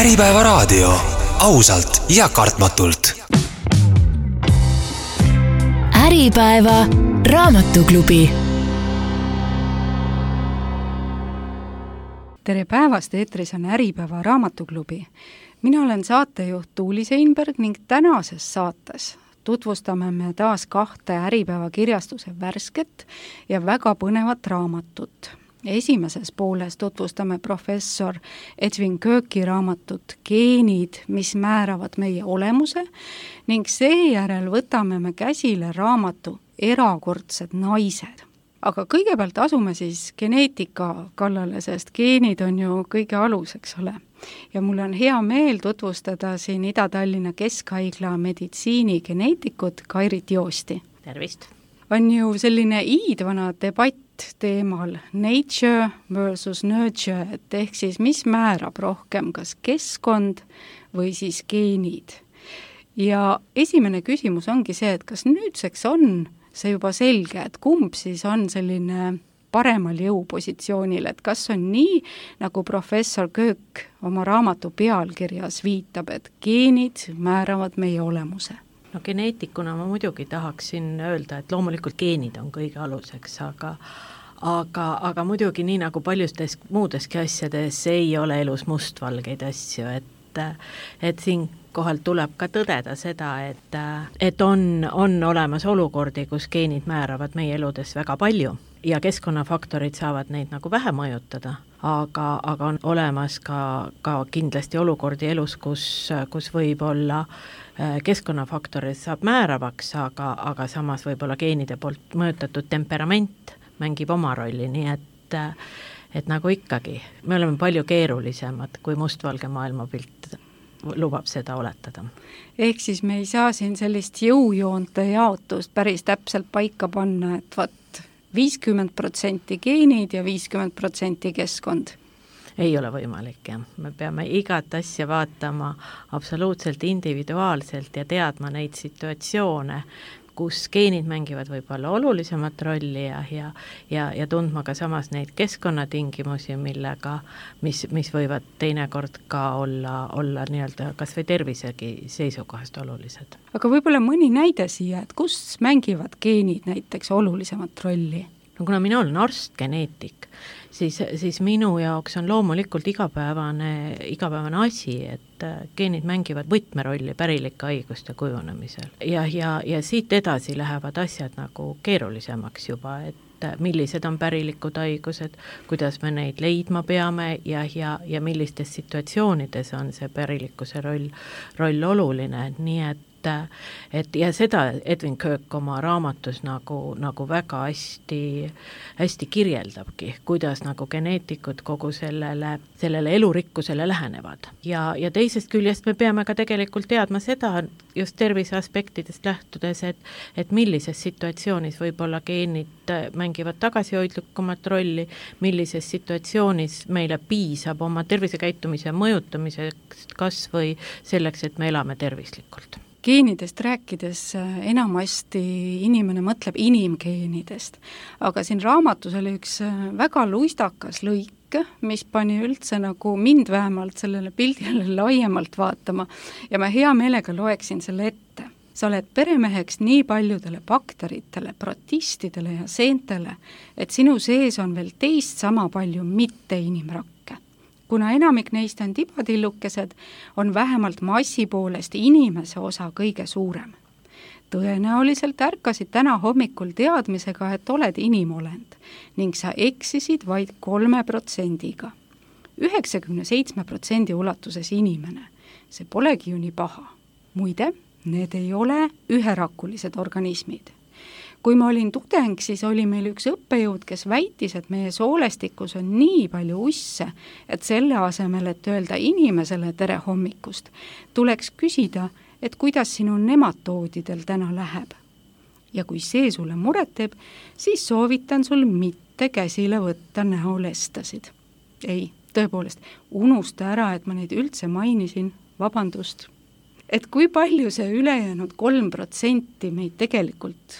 Äripäeva raadio, ausalt ja kartmatult. Äripäeva raamatuklubi. Tere päevast, eetris on Äripäeva raamatuklubi. Mina olen saatejuht Tuuli Seinberg ning tänases saates tutvustame me taas 2 Äripäeva kirjastuse värsket ja väga põnevat raamatut. Esimeses pooles tutvustame professor Edwin Kirki raamatut Geenid, mis määravad meie olemuse, ning seejärel võtame me käsile raamatu Erakordsed naised. Aga kõigepealt asume siis geneetika kallale, sest geenid on ju kõige alus, eks ole. Ja mul on hea meel tutvustada siin Ida-Tallinna Keskhaigla meditsiinigeneetikut Kairit Joosti. Tervist! On ju selline iidvana debatt teemal nature versus nurture, et ehk siis mis määrab rohkem, kas keskkond või siis geenid. Ja esimene küsimus ongi see, et kas nüüdseks on see juba selge, et kumb siis on selline paremal jõupositsioonil, et kas on nii, nagu professor Köök oma raamatu pealkirjas viitab, et geenid määravad meie olemuse? No geneetikuna ma muidugi tahaksin öelda, et loomulikult geenid on kõige aluseks, aga muidugi nii nagu paljudes muudeski asjades ei ole elus mustvalgeid asju, et siin kohal tuleb ka tõdeda seda, et on olemas olukordi, kus geenid määravad meie eludes väga palju ja keskkonnafaktorid saavad neid nagu vähe mõjutada, aga on olemas ka kindlasti olukordi elus, kus võib olla keskkonnafaktorid saab määravaks, aga samas võib-olla geenide poolt mõjutatud temperament mängib oma rolli, nii et nagu ikkagi, me oleme palju keerulisemad, kui mustvalge maailmapilt lubab seda oletada. Ehk siis me ei saa siin sellist jõujoonte jaotust päris täpselt paika panna, et 50% geenid ja 50% keskkond. Ei ole võimalik, jah. Me peame igat asja vaatama absoluutselt individuaalselt ja teadma neid situatsioone, kus geenid mängivad võib-olla olulisemat rolli ja tundma ka samas neid keskkonnatingimusi, mis võivad teinekord ka olla nii-öelda kas või tervisegi seisukohast olulised. Aga võib-olla mõni näide siia, et kus mängivad geenid näiteks olulisemat rolli? No kuna mina olen arst, geneetik, siis minu jaoks on loomulikult igapäevane asi, et geenid mängivad võtmerolli pärilike haiguste kujunemisel. Ja siit edasi lähevad asjad nagu keerulisemaks juba, et millised on pärilikud haigused, kuidas me neid leidma peame ja millistes situatsioonides on see pärilikkuse roll oluline, nii et ja seda Edwin Kirk oma raamatus nagu väga hästi kirjeldabki, kuidas nagu geneetikud kogu sellele elurikkusele lähenevad. Ja teisest küljest me peame ka tegelikult teadma seda just tervise aspektidest lähtudes, et millises situatsioonis võib-olla geenid mängivad tagasihoidlikumat rolli, millises situatsioonis meile piisab oma tervisekäitumise mõjutamiseks kas või selleks, et me elame tervislikult. Geenidest rääkides enamasti inimene mõtleb inimgeenidest, aga siin raamatus oli üks väga luistakas lõik, mis pani üldse nagu mind vähemalt sellele pildile laiemalt vaatama ja ma hea meelega loeksin selle ette. Sa oled peremeheks nii paljudele bakteritele, protistidele ja seentele, et sinu sees on veel teist sama palju mitte inimrakke. Kuna enamik neist on tibatillukesed, on vähemalt massi poolest inimese osa kõige suurem. Tõenäoliselt ärkasid täna hommikul teadmisega, et oled inimolend ning sa eksisid vaid 3%. 97% ulatuses inimene. See polegi ju nii paha. Muide, need ei ole üherakulised organismid. Kui ma olin tudeng, siis oli meil üks õppejõud, kes väitis, et meie soolestikus on nii palju usse, et selle asemel, et öelda inimesele tere hommikust, tuleks küsida, et kuidas sinu nematoodidel täna läheb. Ja kui see sulle muret teeb, siis soovitan sul mitte käsile võtta näolestasid. Ei, tõepoolest, unusta ära, et ma neid üldse mainisin, vabandust. Et kui palju see ülejäänud 3% meid tegelikult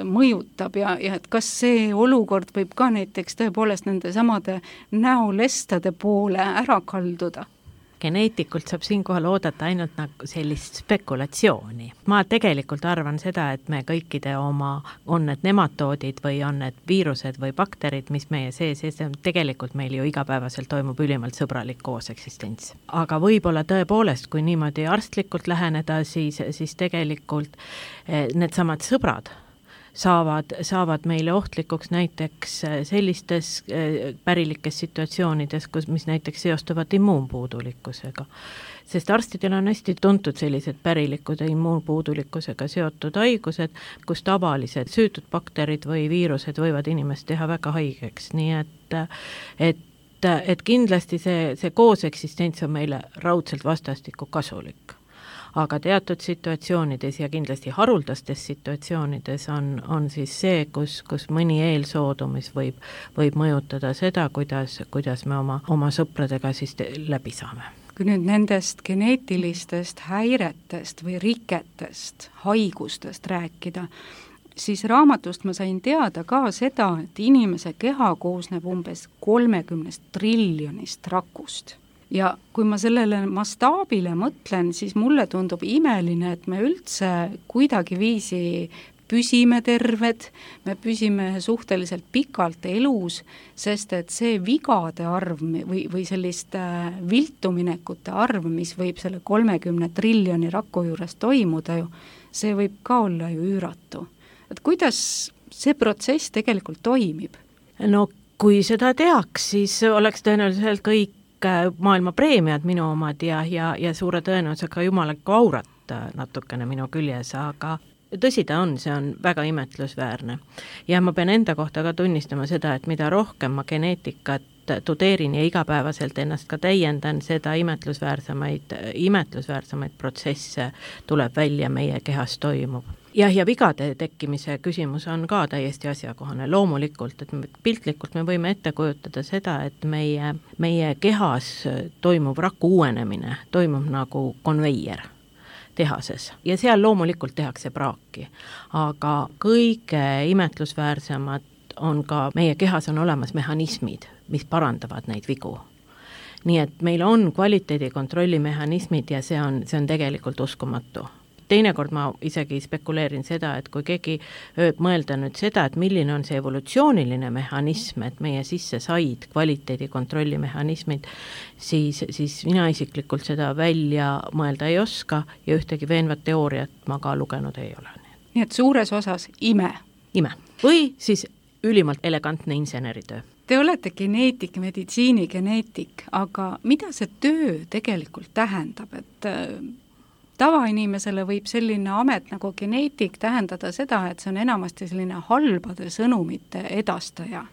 mõjutab ja et kas see olukord võib ka näiteks tõepoolest nende samade näolestade poole ära kalduda? geneetikult saab siinkohal oodata ainult nagu sellist spekulatsiooni. Ma tegelikult arvan seda, et me kõikide oma, on need nematoodid või on need viirused või bakterid, mis meie sees, tegelikult meil ju igapäevaselt toimub ülimalt sõbralik kooseksistents. Aga võib-olla tõepoolest, kui niimoodi arstlikult läheneda, siis tegelikult need samad sõbrad saavad meile ohtlikuks näiteks sellistes pärilikes situatsioonides, mis näiteks seostuvad immuunpuudulikkusega. Sest arstidel on hästi tuntud sellised pärilikud immuunpuudulikkusega seotud haigused, kus tavalised süütud bakterid või viirused võivad inimest teha väga haigeks, nii et kindlasti see kooseksistents on meile raudselt vastastikku kasulik. Aga teatud situatsioonides ja kindlasti haruldastes situatsioonides on siis see, kus mõni eelsoodumis võib mõjutada seda, kuidas me oma sõpradega siis läbi saame. Kui nüüd nendest geneetilistest häiretest või riketest, haigustest rääkida, siis raamatust ma sain teada ka seda, et inimese keha koosneb umbes 30 triljonist rakust. Ja kui ma sellele mastaabile mõtlen, siis mulle tundub imeline, et me üldse kuidagi viisi püsime terved, me püsime suhteliselt pikalt elus, sest et see vigade arv või sellist viltuminekute arv, mis võib selle 30 triljoni raku juures toimuda ju, see võib ka olla ju üüratu. Et kuidas see protsess tegelikult toimib? No kui seda teaks, siis oleks tõenäoliselt kõik maailma preemiad minu omad ja suure tõenäosusega jumalikku aurat natukene minu küljes, aga tõsi ta on, see on väga imetlusväärne. Ja ma pean enda kohta ka tunnistama seda, et mida rohkem ma geneetikat tudeerin ja igapäevaselt ennast ka täiendan, seda imetlusväärsemaid protsesse tuleb välja meie kehas toimub. Ja vigade tekkimise küsimus on ka täiesti asjakohane. Loomulikult, et piltlikult me võime ette kujutada seda, et meie kehas toimub raku uuenemine, toimub nagu konveier tehases ja seal loomulikult tehakse praaki. Aga kõige imetlusväärsemad on ka, meie kehas on olemas mehhanismid, mis parandavad neid vigu. Nii et meil on kvaliteedikontrolli mehhanismid ja see on tegelikult uskumatu. Teinekord ma isegi spekuleerin seda, et kui keegi mõelda nüüd seda, et milline on see evolutsiooniline mehhanism, et meie sisse said kvaliteedikontrolli mehhanismid, siis mina isiklikult seda välja mõelda ei oska ja ühtegi veenvat teooriat ma ka lugenud ei ole. Nii et suures osas ime. Või siis ülimalt elegantne inseneritöö. Te olete geneetik, meditsiinigeneetik, aga mida see töö tegelikult tähendab, et tavainimesele võib selline amet nagu geneetik tähendada seda, et see on enamasti selline halbade sõnumite edastaja.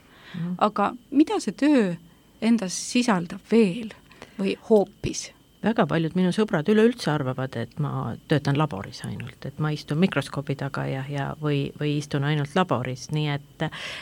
Aga mida see töö endas sisaldab veel või hoopis? Väga paljud minu sõbrad üleüldse arvavad, et ma töötan laboris ainult, et ma istun mikroskoobi taga või istun ainult laboris, nii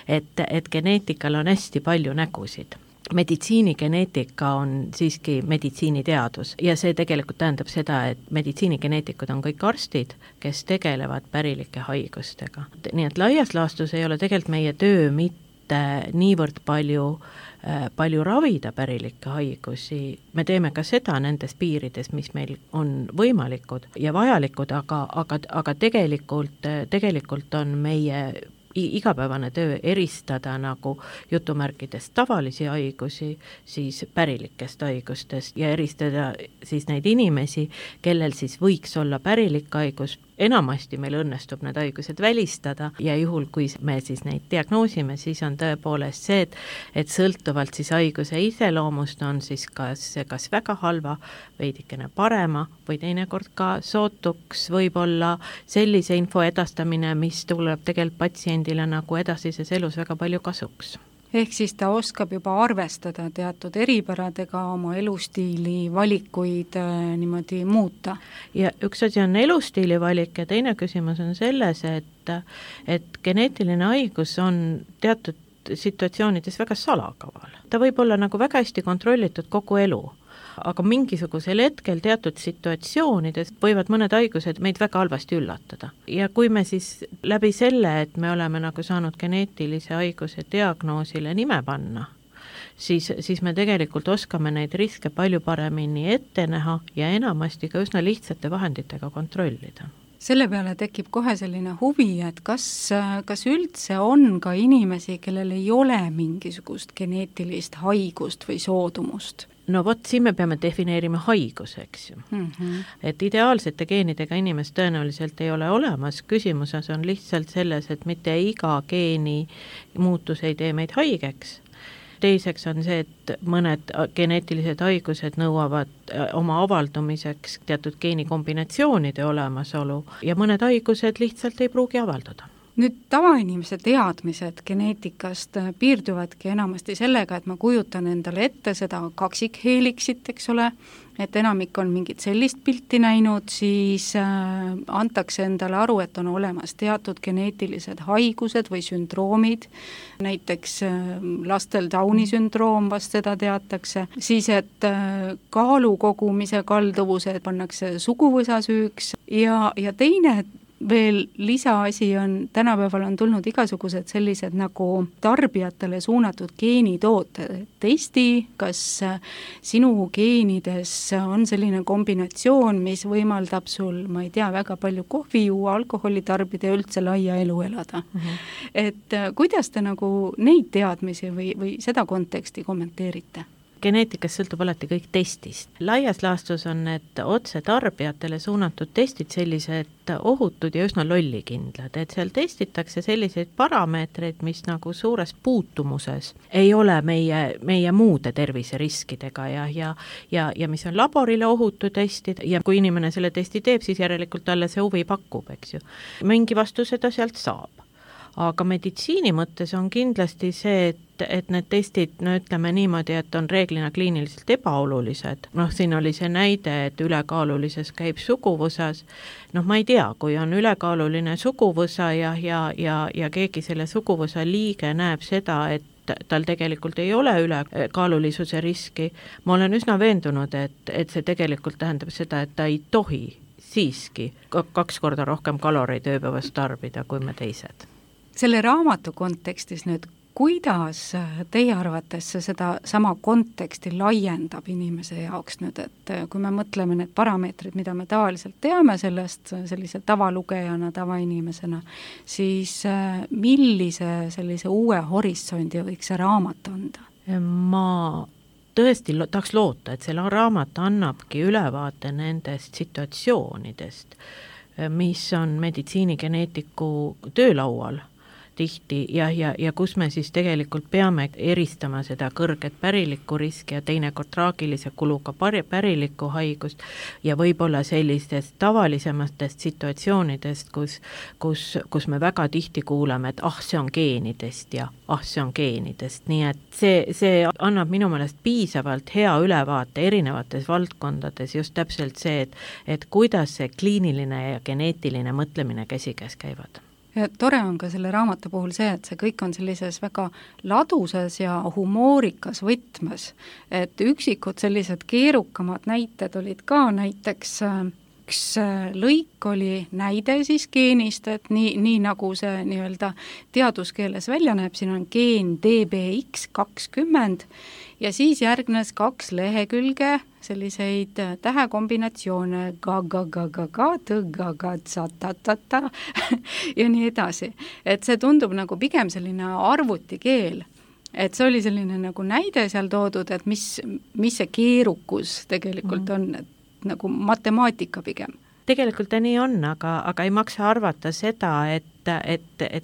et geneetikal on hästi palju nägusid. Meditsiinigeneetika on siiski meditsiiniteadus ja see tegelikult tähendab seda, et meditsiinigeneetikud on kõik arstid, kes tegelevad pärilike haigustega. Nii et laias laastus ei ole tegelikult meie töö mitte niivõrd palju ravida pärilikke haigusi. Me teeme ka seda nendes piirides, mis meil on võimalikud ja vajalikud, aga tegelikult on meie igapäevane töö eristada nagu jutumärkides tavalisi haigusi siis pärilikest haigustest ja eristada siis neid inimesi, kellel siis võiks olla pärilik haigus. Enamasti meil õnnestub need haigused välistada ja juhul, kui me siis neid diagnoosime, siis on tõepoolest see, et sõltuvalt siis haiguse iseloomust on siis kas väga halva, veidikene parema või teinekord ka sootuks võib-olla sellise info edastamine, mis tuleb tegelikult patsiendile nagu edasises elus väga palju kasuks. Ehk siis ta oskab juba arvestada teatud eripäradega, oma elustiili valikuid niimoodi muuta. Ja üks asi on elustiili valik ja teine küsimus on selles, et geneetiline haigus on teatud situatsioonides väga salakaval. Ta võib olla nagu väga hästi kontrollitud kogu elu, aga mingisugusel hetkel teatud situatsioonides võivad mõned haigused meid väga halvasti üllatada. Ja kui me siis läbi selle, et me oleme nagu saanud geneetilise haiguse diagnoosile nime panna, siis me tegelikult oskame neid riske palju paremini ette näha ja enamasti ka üsna lihtsate vahenditega kontrollida. Selle peale tekib kohe selline huvi, et kas üldse on ka inimesi, kellel ei ole mingisugust geneetilist haigust või soodumust? No vot, siin me peame defineerima haiguseks ju. Et ideaalsete geenidega inimest tõenäoliselt ei ole olemas, küsimuses on lihtsalt selles, et mitte iga geeni muutus ei tee meid haigeks. Teiseks on see, et mõned geneetilised haigused nõuavad oma avaldumiseks teatud geenikombinatsioonide olemasolu ja mõned haigused lihtsalt ei pruugi avalduda. Nüüd tavainimese teadmised geneetikast piirduvadki enamasti sellega, et ma kujutan endale ette seda kaksikheeliksit, eks ole, et enamik on mingit sellist pilti näinud, siis antakse endale aru, et on olemas teatud geneetilised haigused või sündroomid, näiteks lastel Downi sündroom, vast seda teatakse, siis et kaalu kogumise kalduvused pannakse suguvõsa süüks ja teine veel lisaasi on, tänapäeval on tulnud igasugused sellised nagu tarbijatele suunatud geenitooted. Testi, kas sinu geenides on selline kombinatsioon, mis võimaldab sul, ma ei tea, väga palju kohvi juua, alkoholi tarbida ja üldse laia elu elada. Et kuidas te nagu neid teadmisi või seda konteksti kommenteerite? Geneetikas sõltub alati kõik testist. Laias laastus on need otse tarbijatele suunatud testid sellised ohutud ja üsna lollikindlad, et seal testitakse selliseid parameetreid, mis nagu suures puutumuses ei ole meie muude terviseriskidega ja mis on laborile ohutu testid ja kui inimene selle testi teeb, siis järelikult talle see huvi pakub, eks ju. Mingi vastu seda sealt saab. Aga meditsiini mõttes on kindlasti see, et need testid, no ütleme niimoodi, et on reeglina kliiniliselt ebaolulised. Siin oli see näide, et ülekaalulises käib suguvõsas. Ma ei tea, kui on ülekaaluline suguvõsa ja keegi selle suguvõsa liige näeb seda, et tal tegelikult ei ole ülekaalulisuse riski. Ma olen üsna veendunud, et see tegelikult tähendab seda, et ta ei tohi siiski 2 korda rohkem kaloreid ööpäevas tarbida kui me teised. Selle raamatu kontekstis nüüd, kuidas teie arvates seda sama konteksti laiendab inimese jaoks nüüd, et kui me mõtleme need parameetrid, mida me tavaliselt teame sellest sellise tavalugejana, tavainimesena, siis millise sellise uue horisondi võiks see raamat anda? Ma tõesti tahaks loota, et selle raamat annabki ülevaate nendest situatsioonidest, mis on meditsiinigeneetiku töölaual tihti ja kus me siis tegelikult peame eristama seda kõrget pärilikku riski ja teinekord traagilise kuluga pärilikku haigust ja võib-olla sellistest tavalisematest situatsioonidest, kus me väga tihti kuuleme, et see on geenidest ja see on geenidest, nii et see annab minu meelest piisavalt hea ülevaate erinevates valdkondades just täpselt see, et kuidas see kliiniline ja geneetiline mõtlemine käsikäes käivad. Ja tore on ka selle raamatu puhul see, et see kõik on sellises väga ladusas ja humoorikas võtmes, et üksikud sellised keerukamad näited olid ka, näiteks üks lõik oli näide siis geenist, et nii nagu see nii-öelda teaduskeeles välja näeb, siin on geen DBX20 ja siis järgnes 2 lehekülge selliseid tähekombinatsioone ga-ga-ga-ga-ga-tõ-ga-ga-tsa-ta-ta-ta ja nii edasi. Et see tundub nagu pigem selline arvutikeel, et see oli selline nagu näide seal toodud, et mis see keerukus tegelikult on, et nagu matemaatika pigem. Tegelikult ta nii on, aga ei maksa arvata seda, et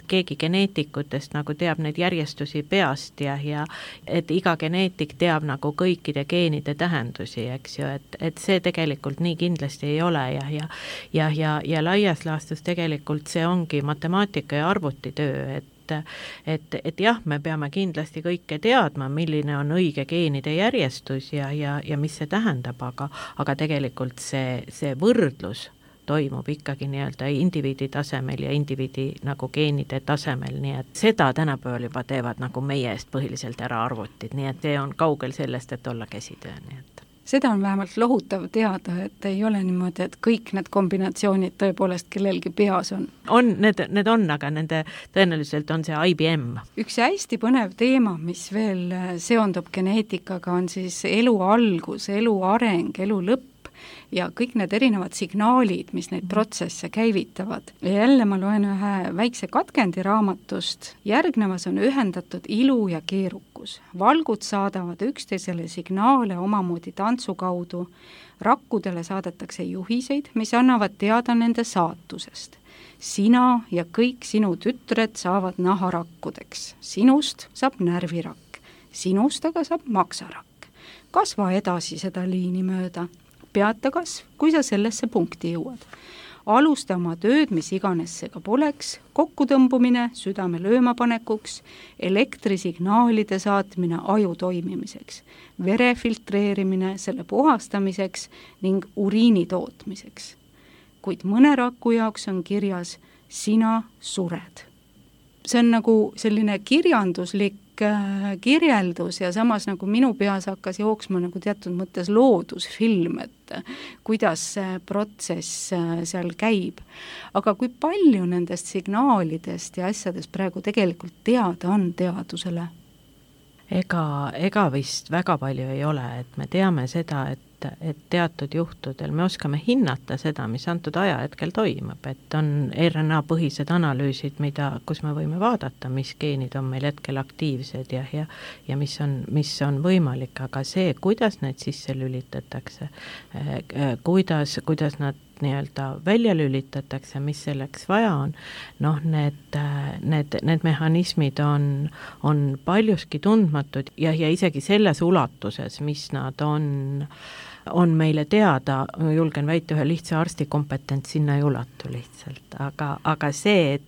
keegi geneetikutest nagu teab neid järjestusi peast ja et iga geneetik teab nagu kõikide geenide tähendusi, eks ju, et see tegelikult nii kindlasti ei ole ja laias laastus tegelikult see ongi matemaatika ja arvutitöö, et jah, me peame kindlasti kõike teadma, milline on õige geenide järjestus ja mis see tähendab, aga tegelikult see võrdlus toimub ikkagi nii-öelda indiviidi tasemel ja indiviidi nagu geenide tasemel, nii et seda tänapäeval juba teevad nagu meie eest põhiliselt ära arvutid, nii et see on kaugel sellest, et olla käsitöö, nii et seda on vähemalt lohutav teada, et ei ole niimoodi, et kõik need kombinatsioonid tõepoolest kellelgi peas on. Need on, aga nende tõenäoliselt on see IBM. Üks hästi põnev teema, mis veel seondub geneetikaga, on siis elu algus, elu areng, elu lõpp ja kõik need erinevad signaalid, mis neid protsesse käivitavad. Ja jälle ma loen ühe väikse katkendi raamatust. Järgnevas on ühendatud ilu ja keerukus. Valgud saadavad üksteisele signaale omamoodi tantsu kaudu. Rakkudele saadetakse juhiseid, mis annavad teada nende saatusest. Sina ja kõik sinu tütred saavad naharakkudeks. Sinust saab närvirakk. Sinust aga saab maksarakk. Kasva edasi seda liini mööda. Peata kasv, kui sa sellesse punkti jõuad. Alusta oma tööd, mis iganes see ka poleks, kokkutõmbumine südame löömapanekuks, elektrisignaalide saatmine aju toimimiseks, vere filtreerimine selle puhastamiseks ning uriini tootmiseks. Kuid mõne raku jaoks on kirjas, sina sured. See on nagu selline kirjanduslik kirjeldus ja samas nagu minu peas hakkas jooksma nagu teatud mõttes loodusfilm, et kuidas see protsess seal käib. Aga kui palju nendest signaalidest ja asjadest praegu tegelikult teada on teadusele? Ega vist väga palju ei ole, et me teame seda, et teatud juhtudel me oskame hinnata seda, mis antud ajahetkel toimub, et on RNA-põhised analüüsid, kus me võime vaadata, mis geenid on meil hetkel aktiivsed ja mis on võimalik, aga see, kuidas need sisse lülitatakse, kuidas nad nii-öelda välja lülitatakse, mis selleks vaja on, need mehhanismid on paljuski tundmatud ja isegi selles ulatuses, mis nad on meile teada, julgen väita, ühe lihtsa arsti kompetents sinna ei ulatu lihtsalt, aga see,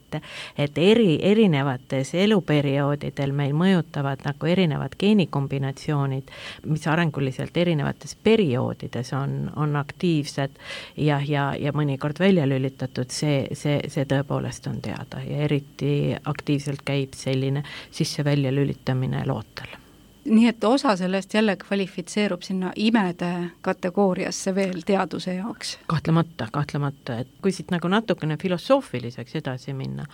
et erinevates eluperioodidel meil mõjutavad nagu erinevad geenikombinatsioonid, mis arenguliselt erinevates perioodides on aktiivsed ja mõnikord välja lülitatud, see tõepoolest on teada ja eriti aktiivselt käib selline sisse-välja lülitamine lootel. Nii et osa sellest jälle kvalifitseerub sinna imede kategooriasse veel teaduse jaoks? Kahtlemata, et kui siit nagu natukene filosoofiliseks edasi minna,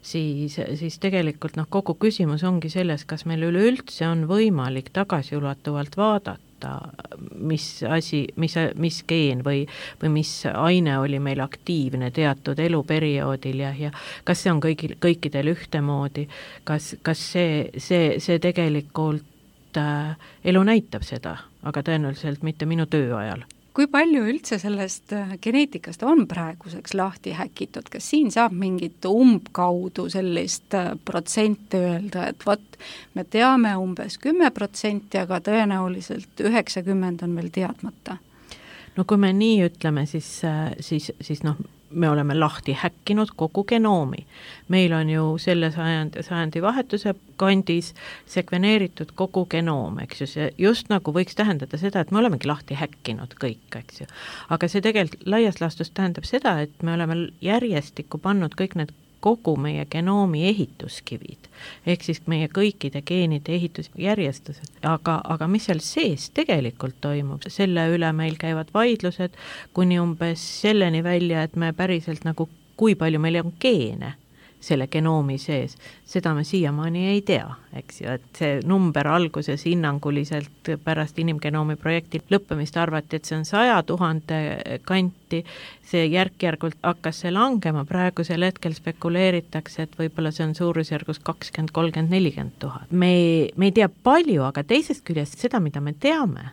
siis tegelikult kogu küsimus ongi selles, kas meil üleüldse on võimalik tagasiulatuvalt vaadata, mis geen või mis aine oli meil aktiivne teatud eluperioodil ja kas see on kõikidel ühtemoodi, kas see tegelikult elu näitab seda, aga tõenäoliselt mitte minu töö ajal. Kui palju üldse sellest geneetikast on praeguseks lahti häkitud? Kas siin saab mingit umbkaudu sellist protsenti öelda, et me teame umbes 10%, aga tõenäoliselt 90% on veel teadmata? No kui me nii ütleme, siis me oleme lahti häkkinud kogu genoomi. Meil on ju selle sajandi vahetuse kandis sekveneeritud kogu genoom, eks ju, see just nagu võiks tähendada seda, et me olemegi lahti häkkinud kõik, eks ju. Aga see tegelikult laias laastus tähendab seda, et me oleme järjestikku pannud kõik need kogu meie genoomi ehituskivid, ehk siis meie kõikide geenide ehitusjärjestused. Aga mis seal sees tegelikult toimub, selle üle meil käivad vaidlused kuni umbes selleni välja, et me päriselt nagu, kui palju meil on geene selle genoomi sees, seda me siiamaani ei tea, eks ju, et see number alguses hinnanguliselt pärast inimgenoomi projekti lõppemist arvati, et see on 100 000 kanti, see järk-järgult hakkas see langema, praegusel hetkel spekuleeritakse, et võib-olla see on suurusjärgus 20, 30, 40 000. Me ei tea palju, aga teisest küljest seda, mida me teame,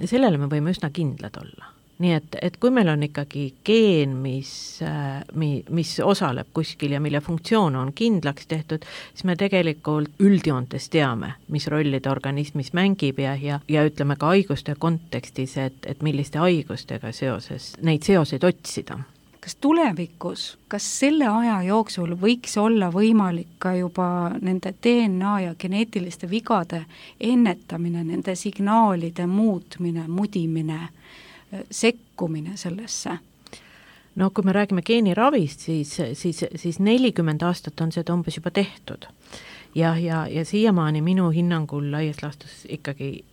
sellele me võime üsna kindlad olla. Nii et kui meil on ikkagi geen, mis osaleb kuskil ja mille funktsioon on kindlaks tehtud, siis me tegelikult üldjoontes teame, mis rolli ta organismis mängib ja ütleme ka haiguste kontekstis, et milliste haigustega seoses neid seoseid otsida. Kas tulevikus, kas selle aja jooksul võiks olla võimalik ka juba nende DNA ja geneetiliste vigade ennetamine, nende signaalide muutmine, mudimine, sekkumine sellesse? No kui me räägime geeniravist, siis 40 aastat on seda umbes juba tehtud. ja siiamaani minu hinnangul laias laastus ikkagi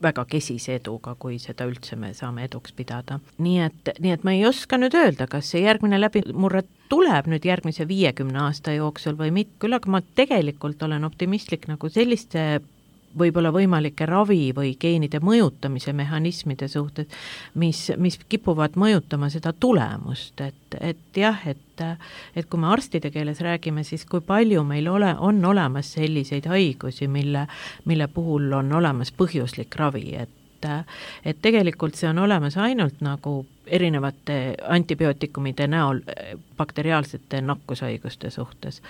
väga kesise eduga, kui seda üldse me saame eduks pidada. Nii et ma ei oska nüüd öelda, kas see järgmine läbimurre tuleb nüüd järgmise 50 aasta jooksul või mitte, küll aga ma tegelikult olen optimistlik nagu selliste võib-olla võimalike ravi või geenide mõjutamise mehhanismide suhtes, mis kipuvad mõjutama seda tulemust, et jah, et kui me arstide keeles räägime, siis kui palju meil on olemas selliseid haigusi, mille puhul on olemas põhjuslik ravi, et tegelikult see on olemas ainult nagu erinevate antibiootikumide näol bakteriaalsete nakkushaiguste suhtes.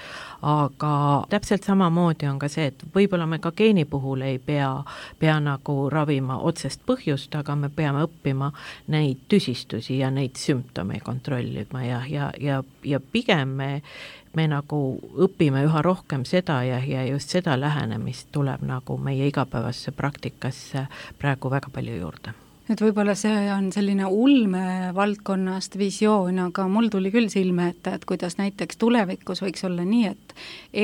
Aga täpselt samamoodi on ka see, et võib-olla me ka geeni puhul ei pea nagu ravima otsest põhjust, aga me peame õppima neid tüsistusi ja neid sümptome kontrollima ja pigem me nagu õpime üha rohkem seda ja just seda lähenemist tuleb nagu meie igapäevasse praktikasse praegu väga palju juurde. Et võib-olla see on selline ulme valdkonnast visioon, aga mul tuli küll silme ette, et kuidas näiteks tulevikus võiks olla nii, et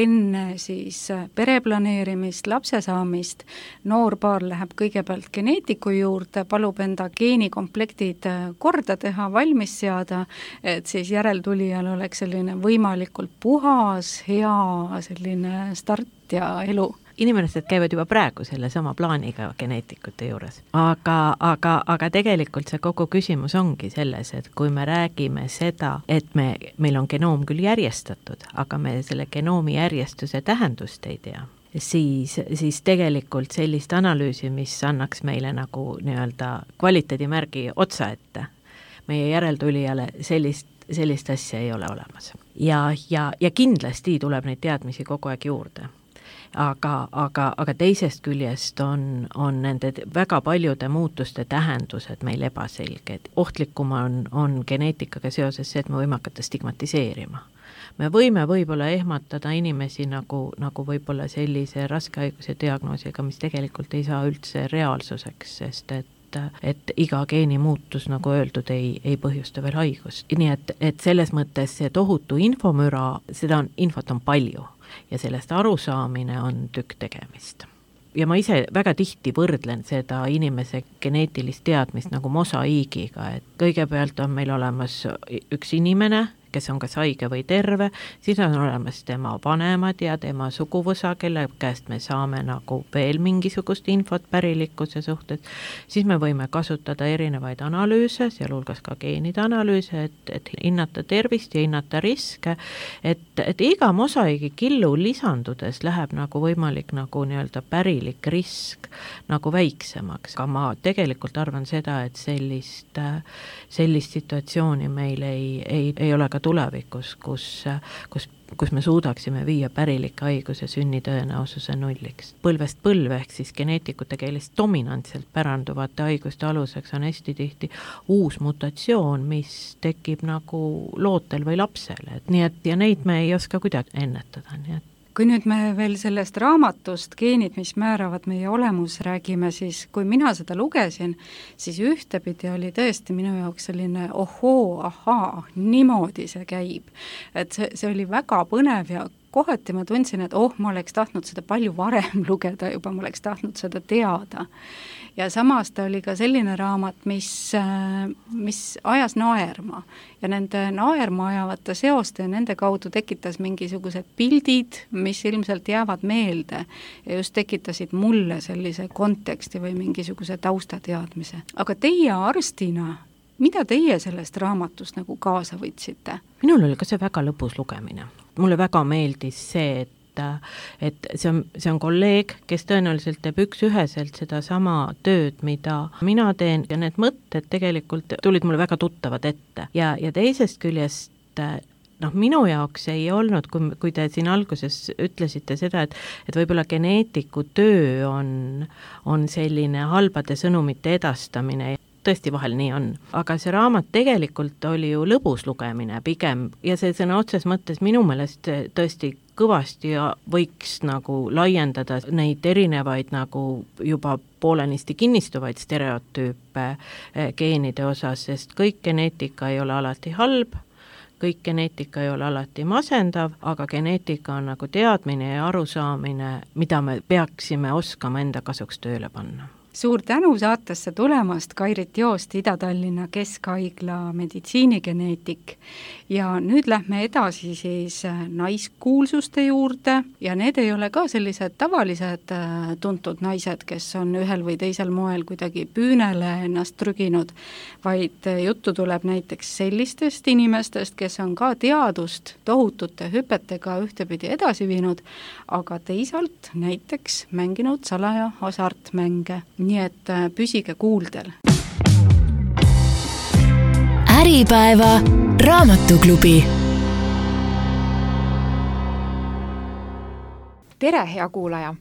enne siis pereplaneerimist, lapse saamist, noor paar läheb kõigepealt geneetiku juurde, palub enda geenikomplektid korda teha, valmis seada, et siis järeltulijal oleks selline võimalikult puhas, hea selline start ja elu. Inimesed käivad juba praegu selle sama plaaniga geneetikute juures. Aga tegelikult see kogu küsimus ongi selles, et kui me räägime seda, et meil on genoom küll järjestatud, aga me selle genoomi järjestuse tähendust ei tea, siis tegelikult sellist analüüsi, mis annaks meile nagu nii-öelda kvaliteedimärgi otsa ette, meie järeltulijale sellist asja ei ole olemas. Ja kindlasti tuleb neid teadmisi kogu aeg juurde. Aga teisest küljest on nende väga paljude muutuste tähendused meil ebaselged. Ohtlikum on geneetikaga seoses see, et me võime hakata stigmatiseerima. Me võime võib-olla ehmatada inimesi nagu võib-olla sellise raske haiguse diagnoosiga, mis tegelikult ei saa üldse reaalsuseks, sest et iga geeni muutus, nagu öeldud, ei põhjusta veel haigust. Nii et selles mõttes see tohutu infomüra, infot on palju ja sellest arusaamine on tükk tegemist. Ja ma ise väga tihti võrdlen seda inimese geneetilist teadmist nagu mosaiigiga, et kõigepealt on meil olemas üks inimene, kes on kas haige või terve, siis on olemas tema vanemad ja tema suguvõsa, kelle käest me saame nagu veel mingisugust infot pärilikkuse suhtes, siis me võime kasutada erinevaid analüüse, sealhulgas ka geenide analüüse, et hinnata tervist ja hinnata riske, et iga mosaiigi killu lisandudes läheb nagu võimalik nagu nii-öelda pärilik risk nagu väiksemaks. Aga ma tegelikult arvan seda, et sellist situatsiooni meil ei ole ka tulevikus, kus me suudaksime viia pärilike haiguse sünnitõenäosuse nulliks. Põlvest põlve ehk siis geneetikute keeles dominantselt päranduvate haiguste aluseks on hästi tihti uus mutatsioon, mis tekib nagu lootel või lapsel. Ja neid me ei oska kuidagi ennetada, nii et kui nüüd me veel sellest raamatust Geenid, mis määravad meie olemus räägime, siis kui mina seda lugesin, siis ühtepidi oli tõesti minu jaoks selline ahaa, niimoodi see käib. Et see oli väga põnev ja kohati ma tundsin, et ma oleks tahtnud seda palju varem lugeda juba, ma oleks tahtnud seda teada. Ja samas ta oli ka selline raamat, mis ajas naerma ja nende naerma ajavate seoste ja nende kaudu tekitas mingisugused pildid, mis ilmselt jäävad meelde ja just tekitasid mulle sellise konteksti või mingisuguse taustateadmise. Aga teie arstina, mida teie sellest raamatust nagu kaasa võtsite? Minul oli ka see väga lõbus lugemine. Mulle väga meeldis see, et see on kolleeg, kes tõenäoliselt teeb üksüheselt seda sama tööd, mida mina teen ja need mõtted tegelikult tulid mulle väga tuttavad ette. Ja teisest küljest minu jaoks ei olnud, kui te siin alguses ütlesite seda, et võib-olla geneetiku töö on selline halbade sõnumite edastamine, tõesti vahel nii on. Aga see raamat tegelikult oli ju lõbus lugemine pigem ja see sõna otses mõttes minu meelest tõesti kõvasti ja võiks nagu laiendada neid erinevaid nagu juba poolenisti kinnistuvaid stereotüüpe geenide osas, sest kõik geneetika ei ole alati halb, kõik geneetika ei ole alati masendav, aga geneetika on nagu teadmine ja arusaamine, mida me peaksime oskama enda kasuks tööle panna. Suur tänu saatesse tulemast, Kairit Joost, Ida-Tallinna Keskhaigla meditsiinigeneetik. Ja nüüd lähme edasi siis naiskuulsuste juurde ja need ei ole ka sellised tavalised tuntud naised, kes on ühel või teisel moel kuidagi püünele ennast trüginud, vaid juttu tuleb näiteks sellistest inimestest, kes on ka teadust tohutute hüpetega ühtepidi edasi viinud, aga teisalt näiteks mänginud salaja hasartmänge. Nii et püsige kuuldel. Äripäeva raamatuklubi. Tere, hea kuulaja!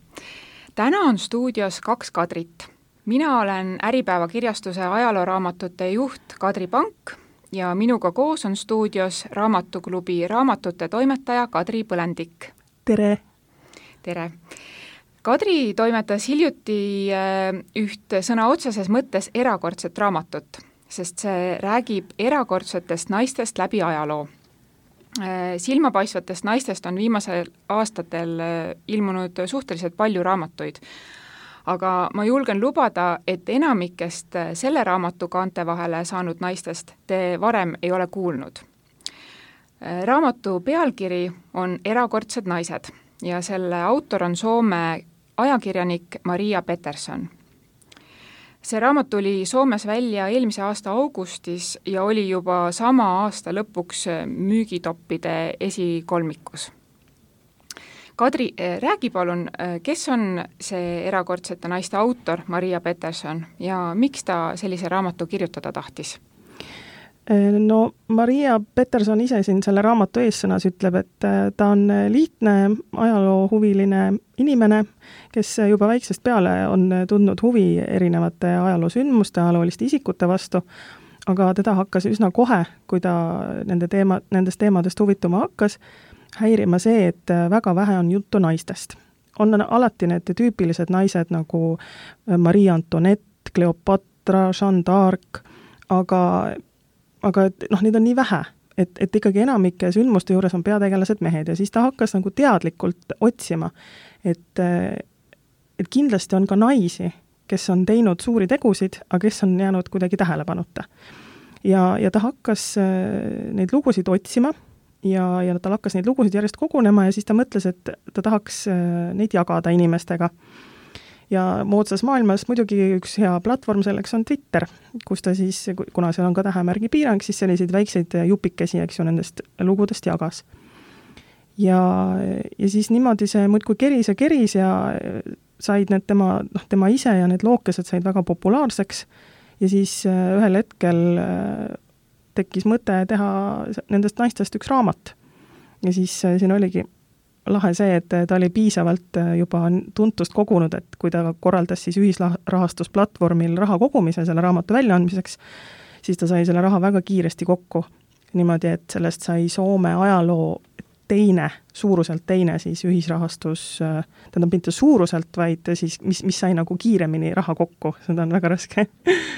Täna on stuudios 2 Kadrit. Mina olen Äripäeva kirjastuse ajalooraamatute juht Kadri Pank ja minuga koos on stuudios raamatuklubi raamatute toimetaja Kadri Põlendik. Tere! Tere! Kadri toimetas hiljuti üht sõna otseses mõttes erakordset raamatut, sest see räägib erakordsetest naistest läbi ajaloo. Silmapaistvatest naistest on viimasel aastatel ilmunud suhteliselt palju raamatuid, aga ma julgen lubada, et enamikest selle raamatu kaante vahele saanud naistest te varem ei ole kuulnud. Raamatu pealkiri on Erakordsed naised ja selle autor on Soome ajakirjanik Maria Peterson. See raamat tuli Soomes välja eelmise aasta augustis ja oli juba sama aasta lõpuks müügitoppide esikolmikus. Kadri, räägi palun, kes on see erakordsete naiste autor Maria Peterson ja miks ta sellise raamatu kirjutada tahtis? No Maria Peterson ise siin selle raamatu eessõnas ütleb, et ta on lihtne ajaloohuviline inimene, kes juba väiksest peale on tundnud huvi erinevate ajaloosündmuste, ajalooliste isikute vastu, aga teda hakkas üsna kohe, kui ta nendest teemadest huvituma hakkas, häirima see, et väga vähe on juttu naistest. On alati need tüüpilised naised nagu Marie Antoinette, Cleopatra, Jeanne d'Arc, aga neid on nii vähe, et ikkagi enamike sündmuste juures on peategelased mehed ja siis ta hakkas nagu teadlikult otsima, et kindlasti on ka naisi, kes on teinud suuri tegusid, aga kes on jäänud kuidagi tähelepanuta. Ja ta hakkas neid lugusid otsima ja tal hakkas neid lugusid järjest kogunema ja siis ta mõtles, et ta tahaks neid jagada inimestega. Ja moodsas maailmas muidugi üks hea platvorm selleks on Twitter, kus ta siis, kuna seal on ka tähemärgi piirang, siis selliseid väikseid jupikesi, eks ju, nendest lugudest jagas. Ja siis niimoodi see muidkui keris ja said need tema ise ja need lookesed said väga populaarseks ja siis ühel hetkel tekkis mõte teha nendest naistest üks raamat. Ja siis siin oligi lahe see, et ta oli piisavalt juba tuntust kogunud, et kui ta korraldas siis ühisrahastusplatvormil raha kogumise selle raamatu väljaandmiseks, siis ta sai selle raha väga kiiresti kokku. Niimoodi, et sellest sai Soome ajaloo suuruselt teine siis ühisrahastus, tähendab mitte suuruselt, vaid siis, mis sai nagu kiiremini raha kokku. Seda on väga raske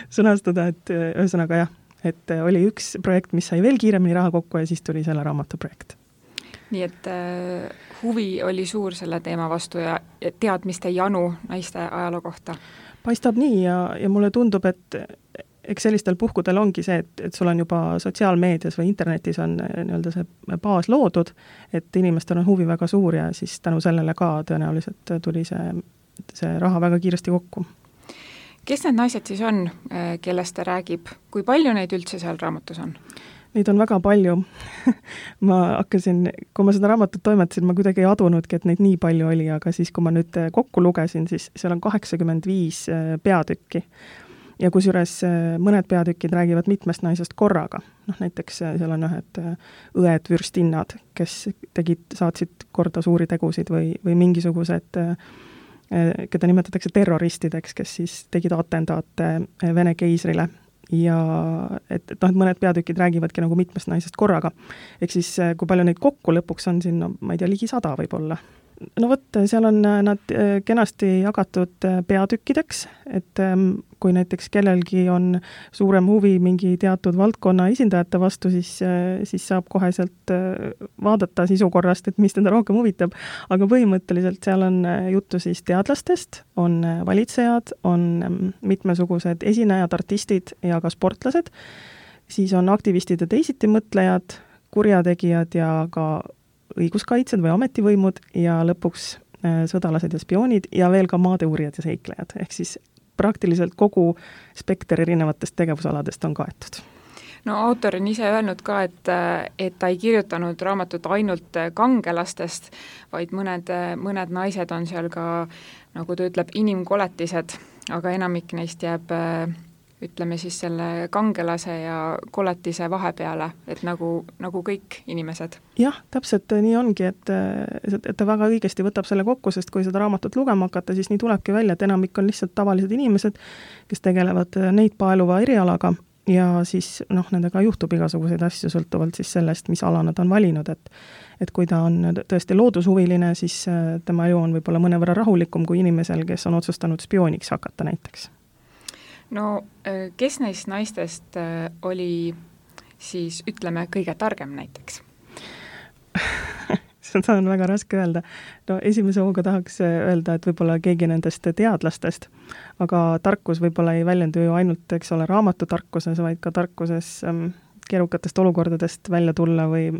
sõnastada, et ühesõnaga jah, et oli üks projekt, mis sai veel kiiremini raha kokku ja siis tuli selle raamatu projekt. Nii et huvi oli suur selle teema vastu ja teadmiste janu naiste ajaloo kohta. Paistab nii ja mulle tundub, et eks sellistel puhkudel ongi see, et sul on juba sotsiaalmeedias või internetis on nii-öelda see baas loodud, et inimestel on huvi väga suur ja siis tänu sellele ka tõenäoliselt tuli see raha väga kiiresti kokku. Kes need naised siis on, kellest ta räägib? Kui palju neid üldse seal raamatus on? Neid on väga palju. Kui ma seda raamatut toimetasin, ma kuidagi ei adunudki, et neid nii palju oli, aga siis kui ma nüüd kokku lugesin, siis seal on 85 peatükki. Ja kusjuures mõned peatükid räägivad mitmest naisest korraga. Näiteks seal on ühed õed vürstinnad, kes saatsid korda suuri tegusid või mingisugused, keda nimetatakse terroristideks, kes siis tegid atentaate Vene keisrile. Ja et mõned peatükid räägivadki nagu mitmest naisest korraga. Ehk siis, kui palju neid kokku lõpuks on siin, ma ei tea, ligi 100 võib olla. no vot, seal on nad kenasti jagatud peatükkideks, et kui näiteks kellelgi on suurem huvi mingi teatud valdkonna esindajate vastu, siis saab koheselt vaadata sisu korrast, et mis teda rohkem huvitab. Aga põhimõtteliselt seal on juttu siis teadlastest, on valitsejad, on mitmesugused esinejad, artistid ja ka sportlased, siis on aktivistid ja teisitimõtlejad, kurjategijad ja ka õiguskaitsjad või ametivõimud ja lõpuks sõdalased ja spioonid ja veel ka maadeuurijad ja seiklejad, ehk siis praktiliselt kogu spekter erinevatest tegevusaladest on kaetud. No autor on ise öelnud ka, et ta ei kirjutanud raamatut ainult kangelastest, vaid mõned naised on seal ka, nagu ta ütleb, inimkoletised, aga enamik neist jääb ütleme siis selle kangelase ja koletise vahepeale, et nagu kõik inimesed. Jah, täpselt nii ongi, et ta väga õigesti võtab selle kokku, sest kui seda raamatut lugema hakata, siis nii tulebki välja, et enamik on lihtsalt tavalised inimesed, kes tegelevad neid paeluva erialaga ja siis nendega juhtub igasuguseid asju sõltuvalt siis sellest, mis ala nad on valinud, et kui ta on tõesti loodushuviline, siis tema elu on võib-olla mõnevõrra rahulikum kui inimesel, kes on otsustanud spiooniks hakata näiteks. No kes neist naistest oli siis, ütleme, kõige targem näiteks? Seda on väga raske öelda. No esimese hooga tahaks öelda, et võib-olla keegi nendest teadlastest, aga tarkus võib-olla ei väljendu ju ainult, eks ole, raamatutarkuses, vaid ka tarkuses keerukatest olukordadest välja tulla või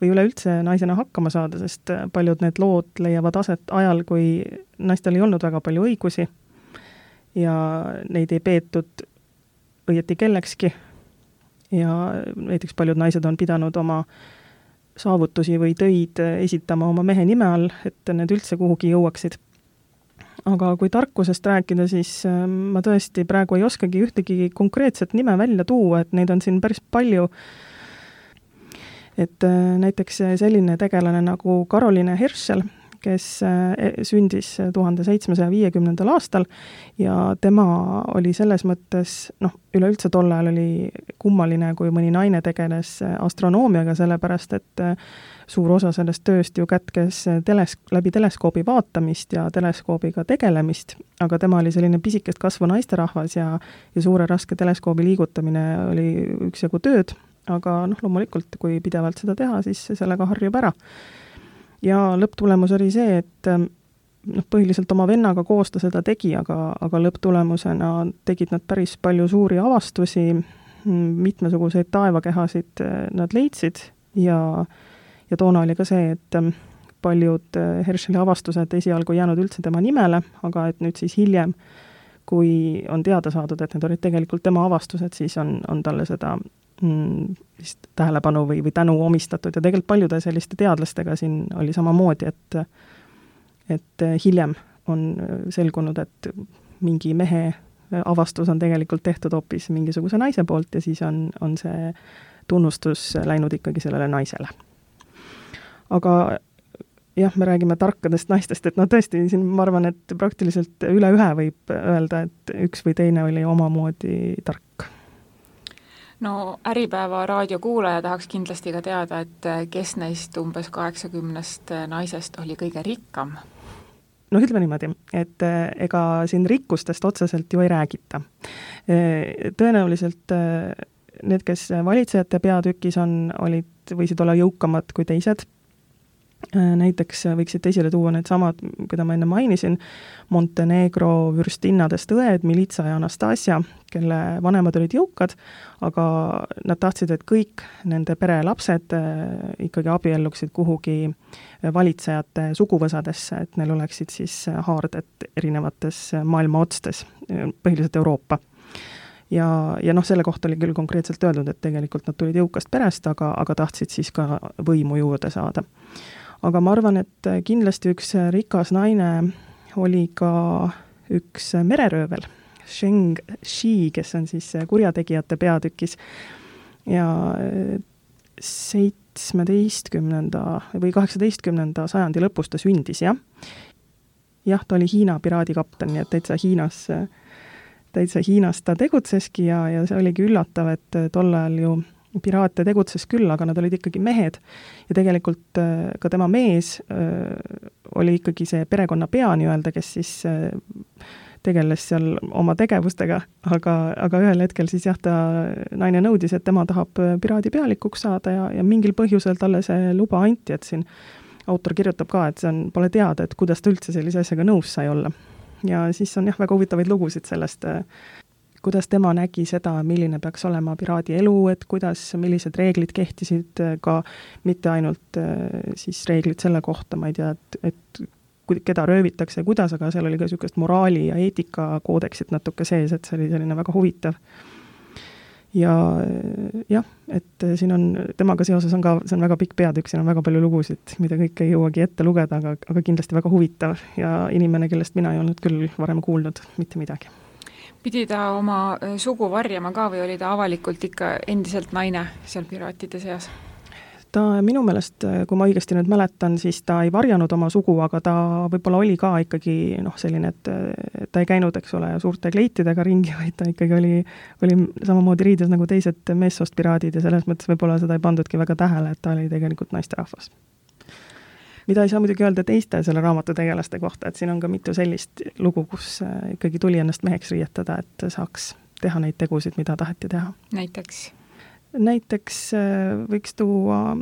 üleüldse naisena hakkama saada, sest paljud need lood leiavad aset ajal, kui naistel ei olnud väga palju õigusi ja neid ei peetud õieti kellekski ja näiteks paljud naised on pidanud oma saavutusi või töid esitama oma mehe nime all, et need üldse kuhugi jõuaksid. Aga kui tarkusest rääkida, siis ma tõesti praegu ei oskagi ühtegi konkreetset nime välja tuua, et neid on siin päris palju. Et näiteks selline tegelane nagu Caroline Herschel, kes sündis 1750. aastal ja tema oli selles mõttes, üleüldse tol ajal oli kummaline, kui mõni naine tegeles astronoomiaga, sellepärast et suur osa sellest tööst ju kätkes läbi teleskoobi vaatamist ja teleskoobiga tegelemist, aga tema oli selline pisikest kasvu naisterahvas ja suure raske teleskoobi liigutamine oli üksjagu tööd, aga loomulikult, kui pidevalt seda teha, siis sellega harjub ära. Ja lõpptulemus oli see, et põhiliselt oma vennaga koos ta seda tegi, aga lõpptulemusena tegid nad päris palju suuri avastusi, mitmesuguseid taevakehasid nad leidsid ja toona oli ka see, et paljud Herscheli avastused esialgu jäänud üldse tema nimele, aga et nüüd siis hiljem, kui on teada saadud, et need olid tegelikult tema avastused, siis on talle seda tähelepanu või tänu omistatud ja tegelikult paljude selliste teadlastega siin oli samamoodi, et hiljem on selgunud, et mingi mehe avastus on tegelikult tehtud hoopis mingisuguse naise poolt ja siis on see tunnustus läinud ikkagi sellele naisele. Aga jah, me räägime tarkadest naistest, et tõesti siin ma arvan, et praktiliselt üle ühe võib öelda, et üks või teine oli omamoodi tark. No Äripäeva raadiokuulaja tahaks kindlasti ka teada, et kes neist umbes 80 naisest oli kõige rikkam? Ütleme niimoodi, et ega siin rikkustest otseselt ju ei räägita. Tõenäoliselt need, kes valitsejate peatükis võisid olla jõukamad kui teised. Näiteks võiksite esile tuua need samad, keda ma enne mainisin, Montenegro vürstinnadest õed Militsa ja Anastasia, kelle vanemad olid jõukad, aga nad tahtsid, et kõik nende pere lapsed ikkagi abielluksid kuhugi valitsejate suguvõsadesse, et neil oleksid siis haarded erinevates maailma otstes, põhiliselt Euroopa. Ja selle kohta oli küll konkreetselt öeldud, et tegelikult nad tulid jõukast perest, aga tahtsid siis ka võimu juurde saada. Aga ma arvan, et kindlasti üks rikas naine oli ka üks mereröövel, Sheng Shi, kes on siis kurjategijate peatükis ja 17. või 18. sajandi lõpus ta sündis, jah. Jah, ta oli Hiina piraadikapten, nii et täitsa Hiinas ta tegutseski ja see oligi üllatav, et tol ajal ju piraate tegutses küll, aga nad olid ikkagi mehed ja tegelikult ka tema mees oli ikkagi see perekonna pea nii-öelda, kes siis tegeles seal oma tegevustega, aga ühel hetkel siis jah, ta naine nõudis, et tema tahab piraadi pealikuks saada ja mingil põhjusel talle see luba anti, et siin autor kirjutab ka, et pole teada, et kuidas ta üldse sellise asjaga nõus sai olla. Ja siis on jah, väga huvitavaid lugusid sellest, kuidas tema nägi seda, milline peaks olema piraadi elu, et millised reeglid kehtisid, ka mitte ainult siis reeglid selle kohta, ma ei tea, et keda röövitakse ja kuidas, aga seal oli ka niisugust moraali ja eetika koodeksit natuke sees, et see oli selline väga huvitav. Ja jah, et siin on, temaga seoses on ka, see on väga pikk peatükk, siin on väga palju lugusid, mida kõik ei jõuagi ette lugeda, aga kindlasti väga huvitav ja inimene, kellest mina ei olnud küll varem kuulnud mitte midagi. Pidi ta oma sugu varjama ka või oli ta avalikult ikka endiselt naine seal piraatide seas? Ta minu meelest, kui ma õigesti nüüd mäletan, siis ta ei varjanud oma sugu, aga ta võib-olla oli ka ikkagi selline, et ta ei käinud, eks ole, suurte kleitidega ringi, vaid ta ikkagi oli samamoodi riides nagu teised meessoost piraadid ja selles mõttes võib-olla seda ei pandudki väga tähele, et ta oli tegelikult naisterahvas. Mida ei saa muidugi öelda teiste selle raamatu tegelaste kohta, et siin on ka mitu sellist lugu, kus ikkagi tuli ennast meheks riietada, et saaks teha neid tegusid, mida taheti teha. Näiteks võiks tuua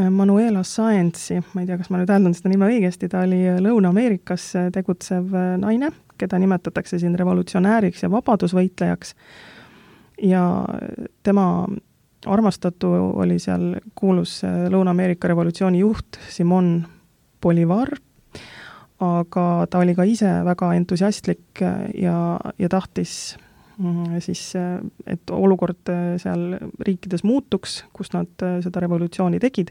Manuela Sáenzi, ma ei tea, kas ma nüüd hääldan seda nime õigesti, ta oli Lõuna-Ameerikas tegutsev naine, keda nimetatakse siin revolutsionääriks ja vabadusvõitlejaks ja tema armastatu oli seal kuulus Lõuna-Ameerika revolutsiooni juht Simón Bolivar, aga ta oli ka ise väga entusiastlik ja tahtis siis, et olukord seal riikides muutuks, kus nad seda revolutsiooni tegid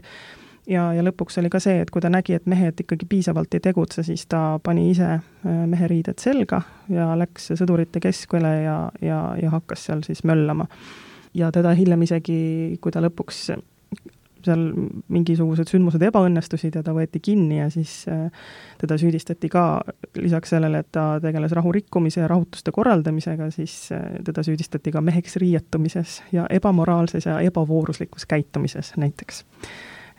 ja lõpuks oli ka see, et kui ta nägi, et mehed ikkagi piisavalt ei tegutse, siis ta pani ise meheriided selga ja läks sõdurite keskele ja hakkas seal siis möllama. Ja teda hiljem isegi, kui ta lõpuks seal mingisugused sündmused ebaõnnestusid ja ta võeti kinni ja siis teda süüdistati ka lisaks sellele, et ta tegeles rahurikkumise ja rahutuste korraldamisega, siis teda süüdistati ka meheks riietumises ja ebamoraalses ja ebavooruslikus käitumises näiteks.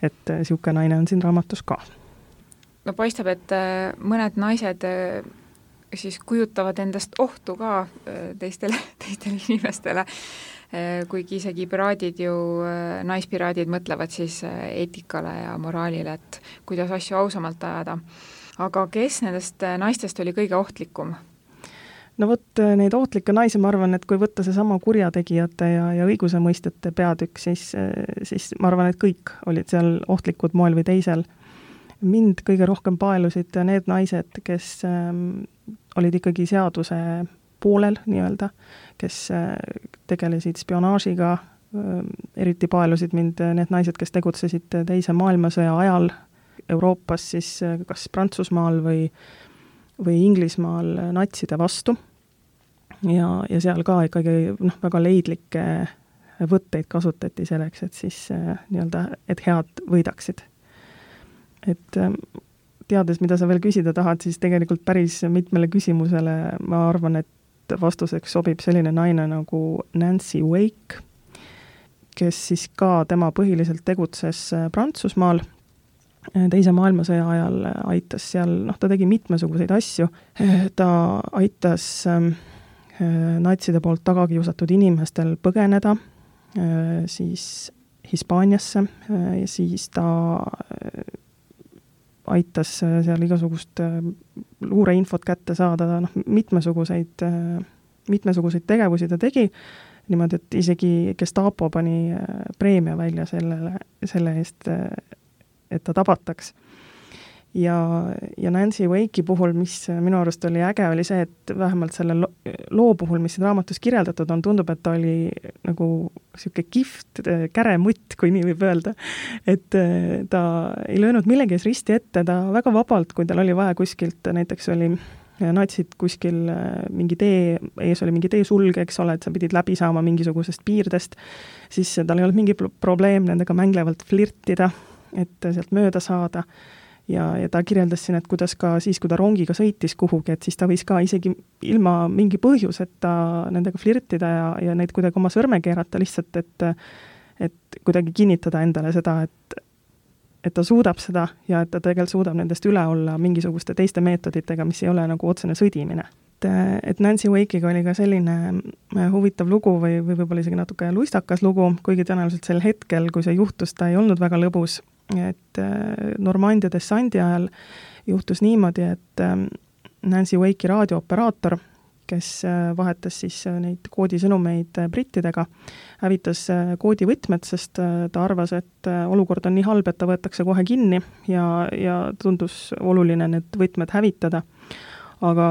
Et siuke naine on siin raamatus ka. No paistab, et mõned naised siis kujutavad endast ohtu ka teistele inimestele, kuigi isegi piraadid ju, naispiraadid mõtlevad siis eetikale ja moraalile, et kuidas asju ausamalt ajada. Aga kes nendest naistest oli kõige ohtlikum? No vot, neid ohtlikke naisi, ma arvan, et kui võtta see sama kurjategijate ja õigusemõistjate peatükk, siis ma arvan, et kõik olid seal ohtlikud moel või teisel. Mind kõige rohkem paelusid need naised, kes olid ikkagi seaduse poolel nii-öelda, kes tegelesid spionaažiga, eriti paelusid mind need naised, kes tegutsesid teise maailmasõja ajal Euroopas, siis kas Prantsusmaal või Inglismaal natside vastu. Ja seal ka ikkagi väga leidlikke võtteid kasutati selleks, et siis nii-öelda, et head võidaksid. Et teades, mida sa veel küsida tahad, siis tegelikult päris mitmele küsimusele ma arvan, et vastuseks sobib selline naine nagu Nancy Wake, kes siis ka tema põhiliselt tegutses Prantsusmaal. Teise maailmasõja ajal aitas seal, ta tegi mitmesuguseid asju. Ta aitas natside poolt tagakiusatud inimestel põgeneda siis Hispaaniasse ja siis ta aitas seal igasugust luureinfot kätte saada, mitmesuguseid tegevusi ta tegi, niimoodi, et isegi Gestapo pani preemia välja selle eest, et ta tabataks. Ja Nancy Wake'i puhul, mis minu arust oli äge, oli see, et vähemalt selle loo puhul, mis siin raamatus kirjeldatud on, tundub, et ta oli nagu siuke kihvt käremutt, kui nii võib öelda. Et ta ei löönud millegi ees risti ette, ta väga vabalt, kui tal oli vaja kuskilt, näiteks oli natsid kuskil mingi tee, ees oli mingi teesulg, eks ole, et sa pidid läbi saama mingisugusest piirdest, siis tal ei olnud mingi probleem nendega mänglevalt flirtida, et sealt mööda saada. Ja ta kirjeldas siin, et kuidas ka siis, kui ta rongiga sõitis kuhugi, et siis ta võis ka isegi ilma mingi põhjuseta nendega flirtida ja neid kuidagi oma sõrme keerata lihtsalt, et kuidagi kinnitada endale seda, et ta suudab seda ja et ta tegelikult suudab nendest üle olla mingisuguste teiste meetoditega, mis ei ole nagu otsene sõdimine. Et Nancy Wake'iga oli ka selline huvitav lugu või võib-olla isegi natuke luistakas lugu, kuigi tõenäoliselt sel hetkel, kui see juhtus, ta ei olnud väga lõbus, et Normandia dessandi ajal juhtus niimoodi, et Nancy Wake'i raadiooperaator, kes vahetas siis neid koodisõnumeid brittidega, hävitas koodivõtmed, sest ta arvas, et olukord on nii halb, et ta võetakse kohe kinni ja tundus oluline need võtmed hävitada. Aga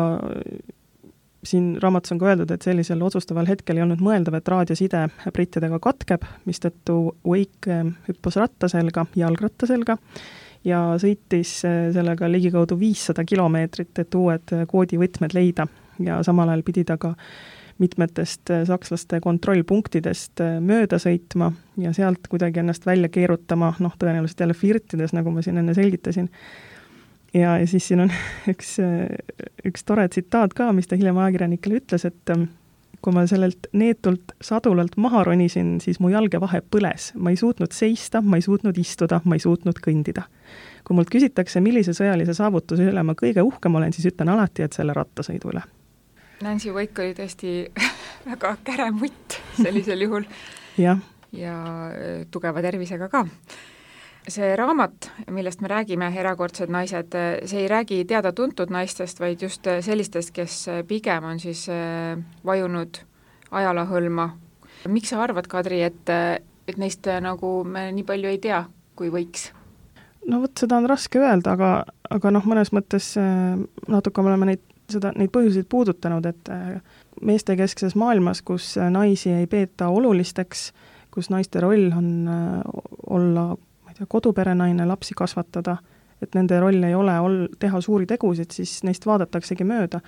siin raamatus on ka öeldud, et sellisel otsustaval hetkel ei olnud mõeldav, et raadioside brittidega katkeb, mistõttu Wake hüppas rattaselga, jalgrattaselga ja sõitis sellega ligikaudu 500 kilomeetrit, et uued koodivõtmed leida ja samal ajal pidi ta ka mitmetest sakslaste kontrollpunktidest mööda sõitma ja sealt kuidagi ennast välja keerutama, tõenäoliselt jälle flirtides, nagu ma siin enne selgitasin. Ja siis siin on üks tore tsitaat ka, mis ta hiljem ajakirjanikele ütles, et kui ma sellelt neetult sadulalt maha ronisin, siis mu jalge vahe põles. Ma ei suutnud seista, ma ei suutnud istuda, ma ei suutnud kõndida. Kui mult küsitakse, millise sõjalise saavutuse üle ma kõige uhkem olen, siis ütlen alati, et selle rattasõidu üle. Nancy Wake oli tõesti väga käre mutt sellisel juhul ja tugeva tervisega ka. See raamat, millest me räägime, Erakordsed naised, see ei räägi teada-tuntud naistest, vaid just sellistest, kes pigem on siis vajunud ajalahõlma. Miks sa arvad, Kadri, et neist nagu me nii palju ei tea, kui võiks? No vot, seda on raske öelda, aga mõnes mõttes natuke me oleme neid põhjuseid puudutanud, et meestekeskses maailmas, kus naisi ei peeta olulisteks, kus naiste roll on olla koduperenaine, lapsi kasvatada, et nende roll ei ole teha suuri tegusid, siis neist vaadataksegi mööda.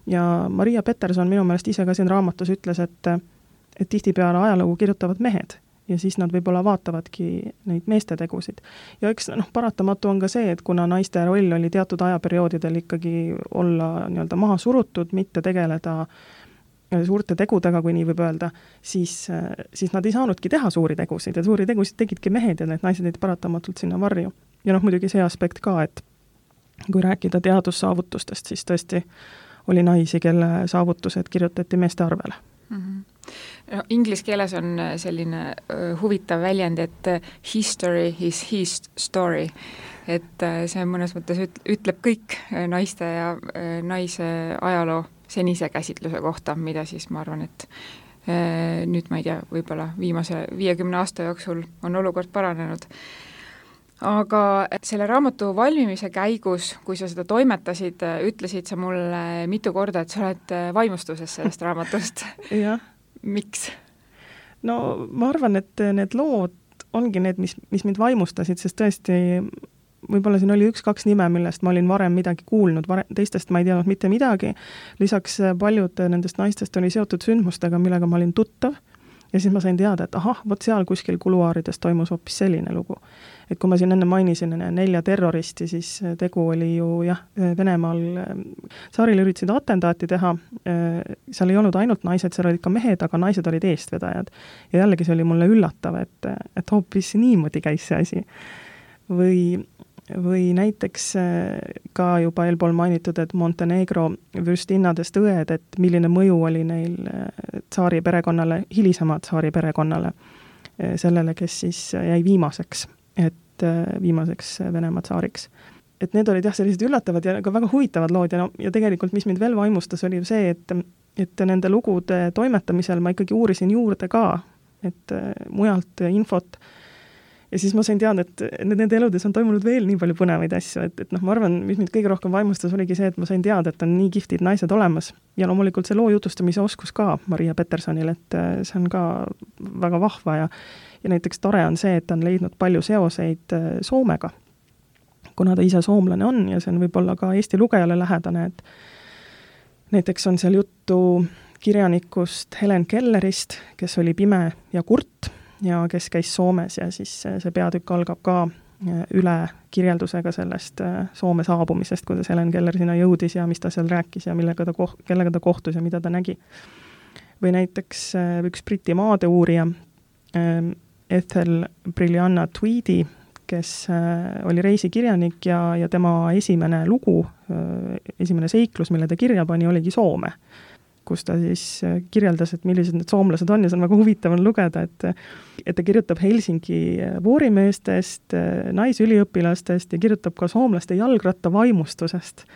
Ja Maria Peterson minu meelest ise ka siin raamatus ütles, et tihtipeale ajalugu kirjutavad mehed ja siis nad võib-olla vaatavadki neid meeste tegusid. Ja eks paratamatu on ka see, et kuna naiste roll oli teatud ajaperioodidel ikkagi olla nii-öelda maha surutud, mitte tegeleda suurte tegudega, kui nii võib öelda, siis nad ei saanudki teha suuri tegusid ja suuri tegusid tegidki mehed ja need naised olid paratamatult sinna varju. Ja muidugi see aspekt ka, et kui rääkida teadussaavutustest, siis tõesti oli naisi, kelle saavutused kirjutati meeste arvele. Inglise keeles on selline huvitav väljend, et history is his story, et see mõnes mõttes ütleb kõik naiste ja naise ajaloo senise käsitluse kohta, mida siis ma arvan, et nüüd ma ei tea, võib-olla viimase 50 aasta jooksul on olukord paranenud. Aga selle raamatu valmimise käigus, kui sa seda toimetasid, ütlesid sa mulle mitu korda, et sa oled vaimustuses sellest raamatust. Miks? No ma arvan, et need lood ongi need, mis mind vaimustasid, sest tõesti võib-olla siin oli 1-2 nime, millest ma olin varem midagi kuulnud, teistest ma ei teadnud mitte midagi. Lisaks paljud nendest naistest oli seotud sündmustega, millega ma olin tuttav ja siis ma sain teada, et vot seal kuskil kuluaarides toimus hoopis selline lugu. Et kui ma siin enne mainisin 4 terroristi, siis tegu oli ju Venemaal saaril üritasid atentaati teha, seal ei olnud ainult naised, seal olid ka mehed, aga naised olid eestvedajad. Ja jällegi see oli mulle üllatav, et hoopis niimoodi käis see asi. Või näiteks ka juba eelpool mainitud, et Montenegro vürstinnadest õed, et milline mõju oli neil tsaari perekonnale, hilisemad tsaari perekonnale, sellele, kes siis jäi viimaseks Venemaa tsaariks. Et need olid sellised üllatavad ja ka väga huvitavad lood ja tegelikult, mis mind veel vaimustas, oli see, et nende lugude toimetamisel ma ikkagi uurisin juurde ka, et mujalt infot. Ja siis ma sain teada, et nende eludes on toimunud veel nii palju põnevaid asju, et ma arvan, mis mind kõige rohkem vaimustas, oligi see, et ma sain teada, et on nii kihtid naised olemas ja loomulikult see loo jutustamise oskus ka Maria Petersonil, et see on ka väga vahva ja näiteks tore on see, et ta on leidnud palju seoseid Soomega, kuna ta ise soomlane on ja see on võib-olla ka Eesti lugejale lähedane, et näiteks on seal juttu kirjanikust Helen Kellerist, kes oli pime ja kurt, ja kes käis Soomes ja siis see peatükk algab ka üle kirjeldusega sellest Soome saabumisest, kuidas Helen Keller sinna jõudis ja mis ta seal rääkis ja kellega ta kohtus ja mida ta nägi. Või näiteks üks Briti maadeuurija Ethel Brilliana Tweedy, kes oli reisikirjanik ja tema esimene lugu, esimene seiklus, mille ta kirja pani, oligi Soome, kus ta siis kirjeldas, et millised need soomlased on ja see on väga huvitav on lugeda, et ta kirjutab Helsingi voorimeestest, naisüliõpilastest ja kirjutab ka soomlaste jalgrattavaimustusest.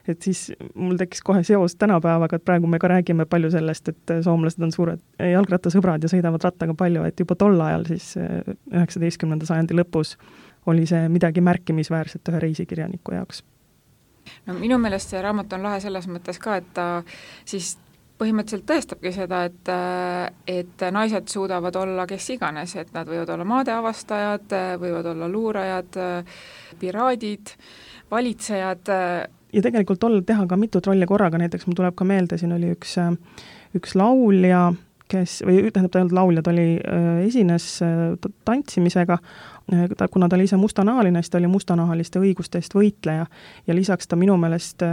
Et siis mul tekkis kohe seos tänapäevaga, et praegu me ka räägime palju sellest, et soomlased on suured jalgrattasõbrad ja sõidavad rattaga palju, et juba tol ajal siis 19. sajandi lõpus oli see midagi märkimisväärset ühe reisikirjaniku jaoks. No minu meelest see raamat on lahe selles mõttes ka, et ta siis põhimõtteliselt tõestabki seda, et naised suudavad olla kes iganes, et nad võivad olla maadeavastajad, võivad olla luurajad, piraadid, valitsejad. Ja tegelikult teha ka mitut rolli korraga, näiteks mul tuleb ka meelde, siin oli üks laulja, või tähendab ta ei olnud laulja, ta esines tantsimisega, kuna ta oli ise mustanahaline, siis ta oli mustanahaliste õiguste eest võitleja ja lisaks ta minu meelest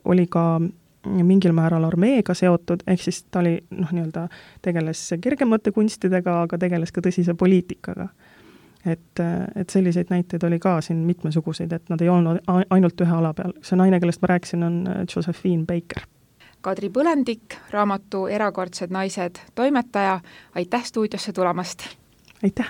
oli ka mingil määral armeega seotud, ehk siis ta oli, tegeles kergemate kunstidega, aga tegeles ka tõsise poliitikaga. Et selliseid näiteid oli ka siin mitmesuguseid, et nad ei olnud ainult ühe ala peal. See naine, kellest ma rääkisin, on Josephine Baker. Kadri Põlendik, raamatu Erakordsed naised toimetaja, aitäh stuudiosse tulemast! Aitäh!